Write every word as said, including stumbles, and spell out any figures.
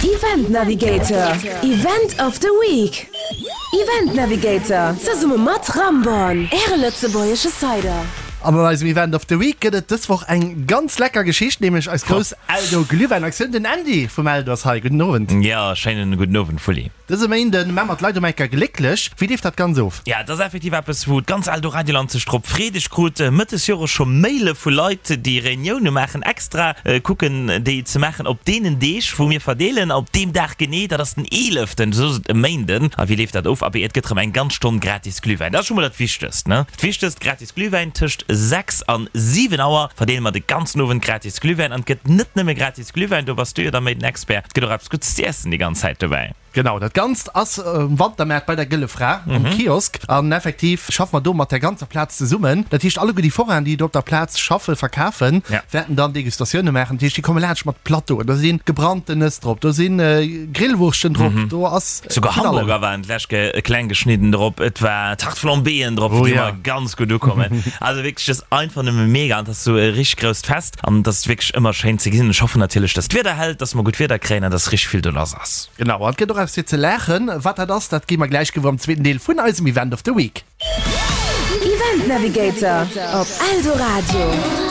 Event Navigator, Event of the Week. Event Navigator, zesumme mat Ramborn, Äre lëtzebuergesche Cider. An an eisem Event of the Week gëtt et dës Woch eng ganz lecker Geschicht, nämlech eis grouss Eldo Glühwäin-Aktioun. Den Andy vum Eldo ass hei. Gudden Owend. Jo, schéinen gudden Owend, Fully. Dëse Méinden maa mer d'Leit um Enker glécklech. Wéi leeft dat Ganz of? Ja, et ass effektiv eppes, wou d'ganz Eldoradioland sech drop freet. Ech krut Mëtt des Jores scho Maile vu Leit, déi Reunioune maachen, extra kucken déi ze maachen op deenen Deeg, wou mir verdeelen. Op deem Dag genee, dat ass den eeleften, dat ass e Méinden. A wéi leeft dat of? Abee, et gëtt erëm eng ganz Stonn gratis Glühwäin. Dat ass scho mol dat Wichtegst, ne? Dat Wichtegst, gratis Glühwäin tëscht sechs an siwen Auer verdeele mer de ganzen Owend gratis Glühwäin. An et gëtt net nëmme gratis Glühwäin, do bass du jo da méi den Expert, et gëtt och eppes Guddes z'iessen déi ganz Zäit dobäi. Genau, dat Ganzt ass um Wantermaart bei der Gëlle Fra um Kiosk. An effektiv schaffe mer do mat der ganzer Plaz zesummen. Dat heescht, alleguer déi Forainen, déi do op der Plaz schaffen, verkafen, wäerten dann Degustatioune maachen. Dat heescht, déi komme laanscht mat Plateauen. Do si gebrannten Nëss drop, do si Grillwurschten drop, do ass Souguer vun allem. Hamburger waren d'lescht Kéier kleng geschnidden drop, et war Tarte flambéeën drop, déi ëmmer ganz gutt ukommen. Also wierklech, et ass einfach nëmme mega an et ass esou e richteg grousst Fest an et ass wierklech ëmmer schéin ze gesinn. Ech hoffen natierlech, dass d'Wieder hält, dass mer gutt Wieder kréien an dass richteg vill do lass ass. Genau, an et gëtt och eppes fir ze laachen. Wat dat ass, dat gi mer gläich gewuer am zweeten Deel vun eisem Event of the Week. Event Navigator op Eldoradio.